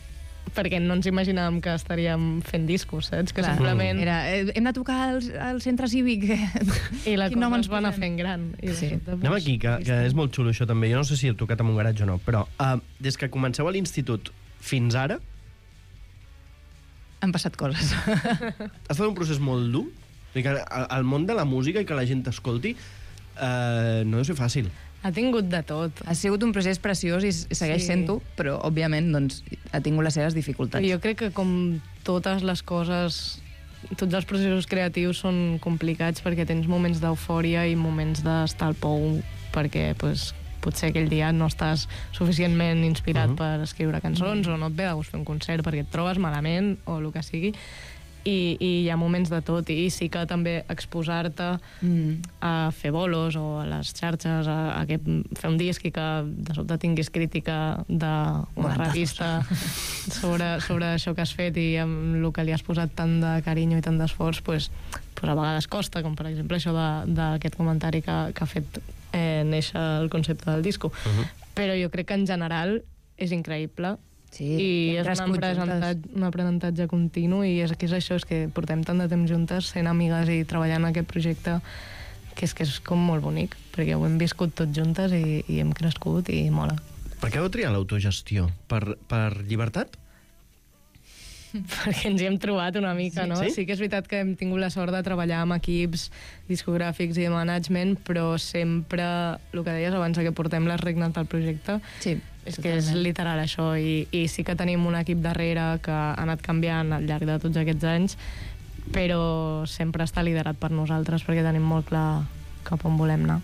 perquè no ens imaginàvem que estaríem fent discos, saps? Que simplement... Hem de tocar al centre cívic. I la cosa ens va anar fent gran. Anem aquí, que és molt xulo això també. Jo no sé si heu tocat en un garatge o no, però des que comenceu a l'institut fins ara... Han passat coses. Ha estat un procés molt dur? El món de la música i que la gent t'escolti no deu ser fàcil. Ha tingut de tot. Ha sigut un procés preciós i segueix sent-ho, però, òbviament, doncs, ha tingut les seves dificultats. Jo crec que, com totes les coses, tots els processos creatius són complicats perquè tens moments d'eufòria i moments d'estar al pou perquè, potser aquell dia no estàs suficientment inspirat per escriure cançons o no et ve de gust fer un concert perquè et trobes malament o el que sigui. I hi ha moments de tot, i sí que també exposar-te a fer bolos o a les xarxes, a fer un disc i que de sobte tinguis crítica d'una revista sobre això que has fet i amb el que li has posat tant de carinyo i tant d'esforç, pues a vegades costa, com per exemple això d'aquest comentari que ha fet néixer el concepte del disco. Però jo crec que en general és increïble. Sí, i és un aprenentatge continu i és això, és que portem tant de temps juntes sent amigues i treballant en aquest projecte que és com molt bonic perquè ho hem viscut tots juntes i hem crescut i mola. Per què heu triat l'autogestió? Per llibertat? Perquè ens hi hem trobat una mica, no? Sí que és veritat que hem tingut la sort de treballar amb equips discogràfics i de management, però sempre, el que deies abans, que portem les regnes del projecte, és que és literal això, i sí que tenim un equip darrere que ha anat canviant al llarg de tots aquests anys, però sempre està liderat per nosaltres perquè tenim molt clar cap on volem anar.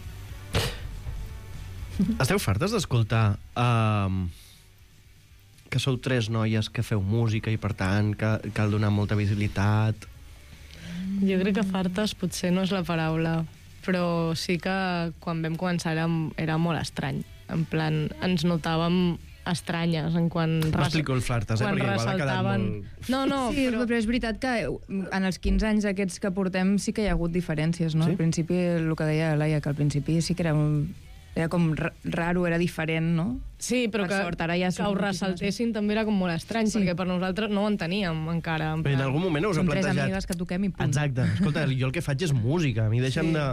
Esteu fartes d'escoltar que sou 3 noies que feu música i per tant que cal donar molta visibilitat? Jo crec que fartes potser no és la paraula, però sí que quan vam començar era molt estrany. En plan, ens notàvem estranyes en quan... M'explico el flartes, perquè igual ha quedat molt... No, sí, però és veritat que en els 15 anys aquests que portem sí que hi ha hagut diferències, no? Al principi, el que deia Laia, que al principi sí que era com raro, era diferent, no? Sí, però que ho ressaltessin també era com molt estrany, perquè per nosaltres no ho enteníem encara. Però en algun moment us heu plantejat... Som 3 amigues que toquem i punt. Exacte. Escolta, jo el que faig és música, a mi deixa'm de...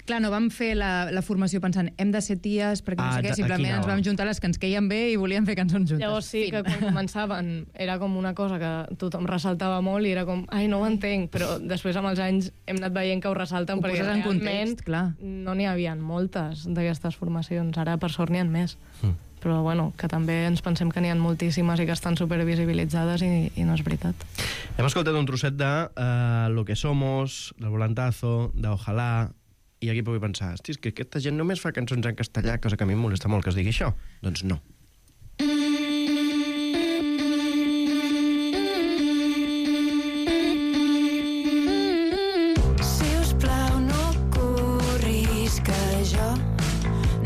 Clar, no vam fer la formació pensant hem de ser ties, perquè no sé què, simplement ens vam juntar les que ens queien bé i volíem fer cançons juntes. Llavors sí, que quan començaven era com una cosa que tothom ressaltava molt i era com, ai, no ho entenc, però després amb els anys hem anat veient que ho ressalten perquè realment context, clar. No n'hi havia moltes d'aquestes formacions, ara per sort n'hi ha més. Però bueno, que també ens pensem que n'hi ha moltíssimes i que estan supervisibilitzades i no és veritat. Hem escoltat un trosset de Lo que somos, del Volantazo, de Ojalá, i aquí puc pensar, hosti, és que aquesta gent només fa cançons en castellà, cosa que a mi em molesta molt que es digui això. Doncs no. Si us plau, no corris, que jo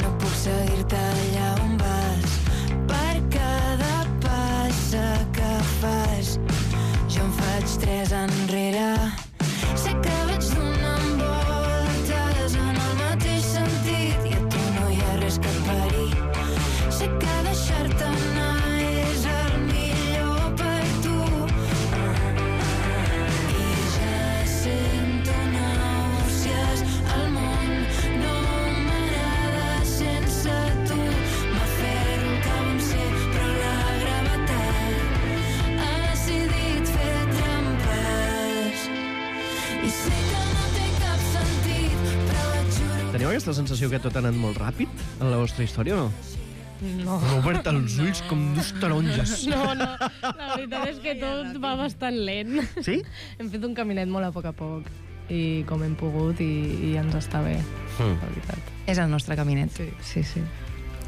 no puc seguir-te allà on vas. Per cada passa que fas, jo en faig 3 enrere. Sé que vaig donant voltes en el mateix sentit i a tu no hi ha res que et pari. Sé que deixar-te anar és el millor per tu i ja sento nàusees. El món no m'agrada sense tu. M'aferro al que vam ser, però la gravetat ha decidit fer trampes. I sé que no té cap sentit, però et juro... Teniu aquesta sensació que tot ha anat molt ràpid en la vostra història o no? No. M'he obert els ulls com dos taronges. No, la veritat és que tot va bastant lent. Sí? Hem fet un caminet molt a poc i com hem pogut i ens està bé, la veritat. És el nostre caminet. Sí.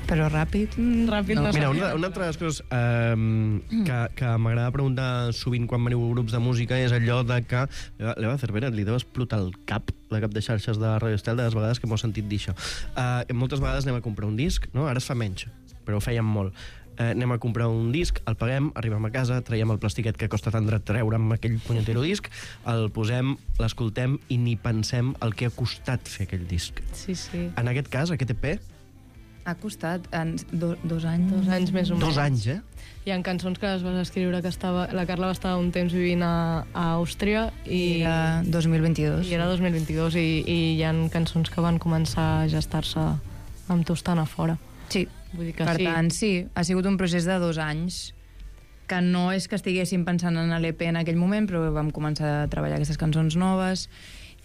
Però ràpid... Ràpid no. Mira, una altra de les coses que m'agrada preguntar sovint quan veniu grups de música és allò de que l'Eva Cervera li deu explotar el cap, la cap de xarxes de Radio Estel, de les vegades que m'ho sentit dir això. Moltes vegades anem a comprar un disc, no? Ara es fa menys, però ho fèiem molt. Anem a comprar un disc, el paguem, arribem a casa, traiem el plastiquet que costa tant dret treure amb aquell punyetero disc, el posem, l'escoltem i ni pensem el que ha costat fer aquell disc. Sí. En aquest cas, aquest EP... Ha costat 2 anys. 2 anys més o menys. 2 anys, Hi ha cançons que les vas escriure que la Carla va estar un temps vivint a Àustria i era 2022. I era 2022 i hi ha cançons que van començar a gestar-se amb tu estant a fora. Sí, vull dir que per tant, sí, ha sigut un procés de 2 anys que no és que estiguéssim pensant en l'EP en aquell moment, però vam començar a treballar aquestes cançons noves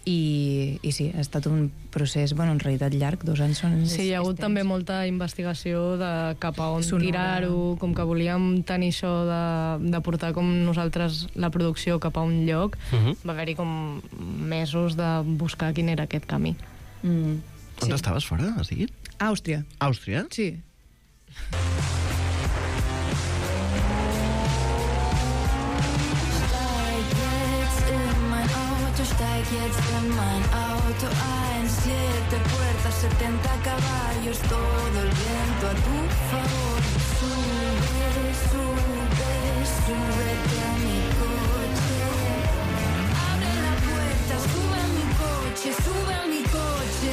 i sí, ha estat un procés, bueno, en realitat llarg, 2 anys són... Sí, hi ha hagut també molta investigació de cap a on tirar-ho, com que volíem tenir això de portar com nosaltres la producció cap a un lloc, va haver-hi com mesos de buscar quin era aquest camí. On estaves fora, has dit? Àustria. Àustria? Sí. Steig jetzt in mein Auto ein, 7 puertas, 70 caballos, todo el viento a tu favor. Sube, sube, súbete a mi coche. Abre la puerta, sube a mi coche, sube a mi coche.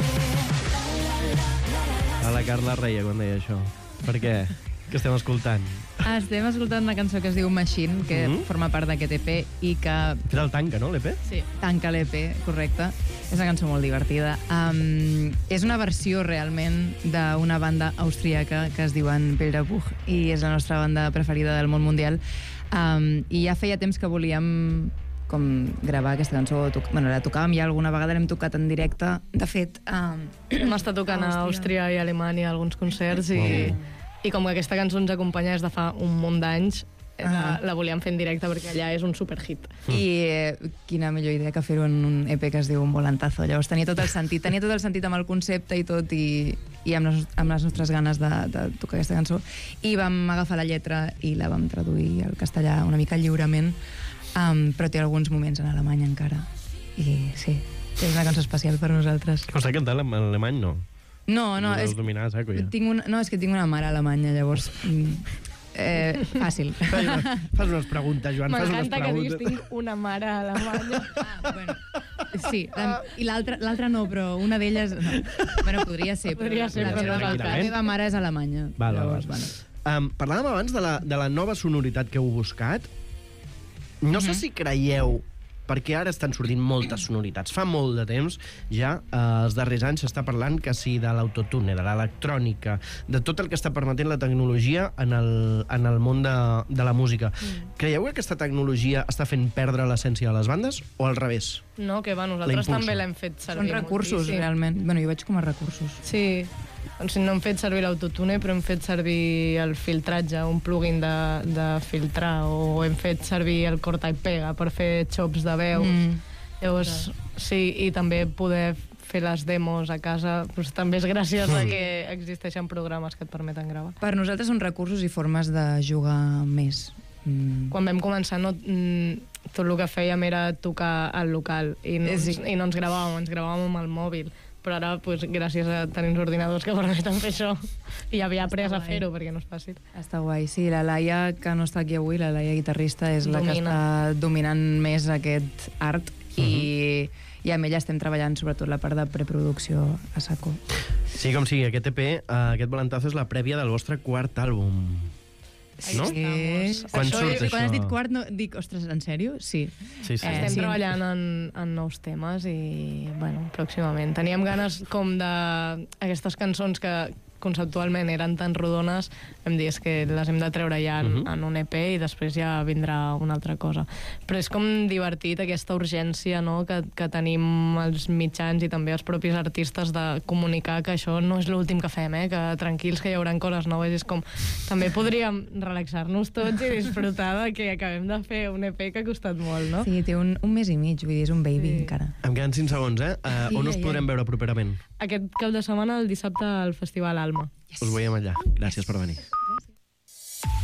A la Carla reia quan deia això. Per què? Què estem escoltant? Estem escoltant una cançó que es diu Machine, que forma part d'aquest EP i que... Era el Tanca, no, l'EP? Sí, Tanca l'EP, correcte. És una cançó molt divertida. És una versió realment d'una banda austríaca que es diuen Bilderbuch i és la nostra banda preferida del món mundial. I ja feia temps que volíem com gravar aquesta cançó. Bueno, la tocàvem ja alguna vegada, l'hem tocat en directe. De fet... Hem estat tocant a Àustria i Alemanya alguns concerts i com que aquesta cançó ens acompanya des de fa un munt d'anys, la volíem fer en directe perquè allà és un superhit. I quina millor idea que fer-ho en un EP que es diu Un Volantazo. Llavors tenia tot el sentit amb el concepte i tot, i amb les nostres ganes de tocar aquesta cançó. I vam agafar la lletra i la vam traduir al castellà una mica lliurement, però té alguns moments en alemany encara. I sí, és una cançó especial per nosaltres. Costa cantar en alemany, no? No, és que tinc una mare alemanya, llavors Fàcil. Fas unes preguntes, Joan, fas unes M'encanta que diguis preguntes. tinc una mare a Alemanya. Bueno, sí, i l'altra no, però una d'elles... No. Bueno, podria ser, però Podria ser, però no és el la cas. meva mare és alemanya. Val. Bueno. Parlàvem abans de la nova sonoritat que heu buscat. No sé si creieu, perquè ara estan sortint moltes sonoritats. Fa molt de temps, ja, els darrers anys s'està parlant que sí de l'autotune, de l'electrònica, de tot el que està permetent la tecnologia en el món de la música. Creieu que aquesta tecnologia està fent perdre l'essència de les bandes o al revés? No, que va, nosaltres també l'hem fet servir. Són recursos, moltíssim. realment. Bueno, jo veig com a recursos. Sí, doncs no hem fet servir l'autotune, però hem fet servir el filtratge, un plugin de filtrar, o hem fet servir el corta i pega per fer xops de veu. Llavors, sí, i també poder fer les demos a casa, doncs també és gràcies a que existeixen programes que et permeten gravar. Per nosaltres són recursos i formes de jugar més. Quan vam començar, tot el que fèiem era tocar al local i no ens gravàvem, ens gravàvem amb el mòbil. Però ara, gràcies a tenir uns ordinadors que permeten fer això, i havia après a fer-ho, perquè no és fàcil. Està guai, sí. La Laia, que no està aquí avui, la Laia guitarrista, és la que està dominant més aquest art i amb ella estem treballant sobretot la part de preproducció a saco. Sí, com sigui, aquest EP, aquest Volantazo és la prèvia del vostre quart àlbum. No? Sí. Quan surt això? Quan has dit quart, no, dic, ostres, en sèrio? Sí. Estem treballant en nous temes i, bueno, pròximament. Teníem ganes com d'aquestes cançons que conceptualment eren tan rodones, hem dit que les hem de treure ja en un EP i després ja vindrà una altra cosa. Però és com divertit aquesta urgència, no?, que tenim els mitjans i també els propis artistes de comunicar que això no és l'últim que fem, que tranquils, que hi haurà coses noves. És com, també podríem relaxar-nos tots i disfrutar de que acabem de fer un EP que ha costat molt, no? Sí, té un mes i mig, vull dir, és un baby encara. Em queden 5 segons, on us podrem veure properament? Aquest cap de setmana, el dissabte, al Festival Alma. Us veiem allà. Gràcies per venir.